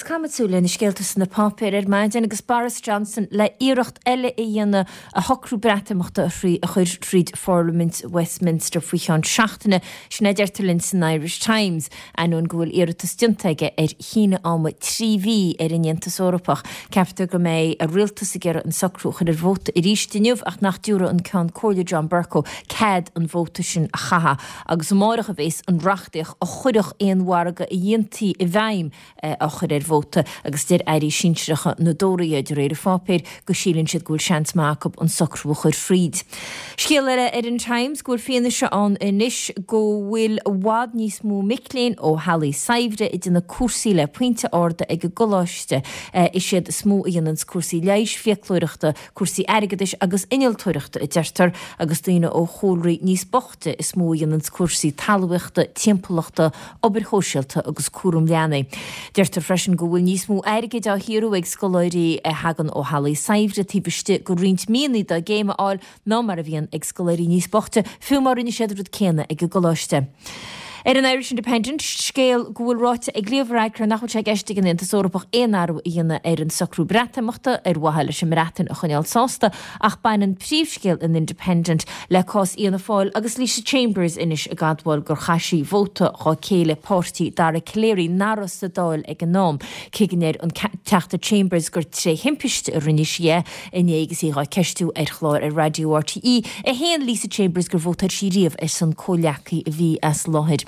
caithfimid súil ar na scéalta sna páipéir ar maidin agus Boris Johnson le iarracht eile a dhéanamh a shocrú Breatimeachta a chur thríd Pharlaimint Westminster faoi cheann seachtaine, sin a deirtear linn san Irish Times, ainneoin go bhfuil iarratas déanta aige ar shíneadh ama 3 mhí ar an Aontas Eorpach. Ceaptar go mbeidh a rialtas ag iarraidh an socrú a chur ar vóta arís inniu ach nach dtabharfaidh an Ceann Comhairle John Bercow cead an vóta sin a chaitheamh. Agus amárach a bhéas an reachtaíocht a chuirfeadh aon mhargadh a dhéantaí i bhfeidhm á chur ar vóta agus deir airí sinsearacha na dTóraithe, de réir an pháipéir, go síleann siad go bhfuil seans maith acu an socrú a chur fríd. Scéal eile ar an Times go bhfuil fianaise ann anois go bhfuil i bhfad níos mó mic léinn ó theaghlaigh saibhre ag déanamh cúrsaí le pointe arda ag an gcoláiste. Is iad is mó a dhéananns cúrsaí leighis, fiaclóireachta, cúrsaí airgeadais agus innealtóireachta, a deirtear, agus daoine ó chúlraí níos boichte is mó a dhéananns cúrsaí talmhaíochta, timpeallachta, obair shóisialta agus cúram leanaí. Deirtear freisin go bhfuil níos mó airgid á shaothrú ag scoláirí a thagann ó theaghlaigh saibhre taobh istigh de roinnt míonna dá gcéim a fháil ná mar a bhíonn ag scoláirí níos boichte, fiú má rinne siad an rud céanna ag an gcoláiste. Ar an Irish Independent, scéal go bhfuil ráite ag Leo Varadkar nach bhfuil sé i gceist ag an Aontas Eorpach aon athrú a dhéanamh ar an socrú Breatimeachta ar mhaithe leis an mBreatain a choinneáil sásta ach baineann príomhscéal an Independent le cás Fhianna Fáil agus Lisa Chambers anois ag admháil gur chaith sí vóta dhá céile páirtí Dara Calleary nach raibh sa Dáil ag an am. Cé go ndeir an Teachta Chambers gur tré thimpiste a rinne sí é, Inné agus í dhá ceistiú ar chlár ar Raidió RTÉ 1 Lisa Chambers gur vótáil sí riamh ar son comhleacaí a bhí as láthair.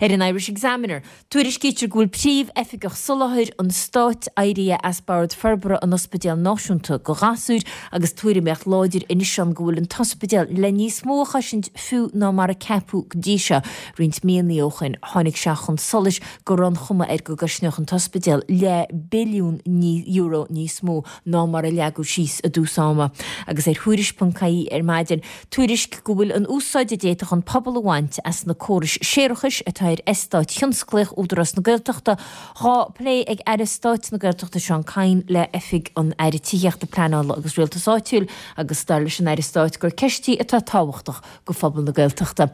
Ar an Irish Examiner, tuairiscítear go bhfuil Príomh-Oifigeach Soláthair an Stáit éirithe as Bord Forbartha an Ospidéil Náisiúnta do Ghasúir agus tuairimíocht láidir anois ann go bhfuil an t-ospidéal le níos mó a chosaint fiú ná mar a ceapadh go dtí seo. Roinnt míonna ó shoin tháinig sé chun solais go raibh an chuma air go gcosnódh an t-ospidéal leath billiún euro níos mó ná mar a leagadh síos i dtús ama. Agus ar Thuairisc.ie ar maidin, tuairisc go bhfuil an úsáid a d'fhéadfadh an pobal a bhaint as na córais séarachais atá ar eastát thionsclaíoch Údarás na Gaeltachta dhá plé ag Aire Stáit na Gaeltachta Seán Kyne le Oifig an Aire Tithíochta, Pleanála agus Rialtais Áitiúil agus dar leis an Aire Stáit gur ceist í atá tábhachtach go phobal na Gaeltachta.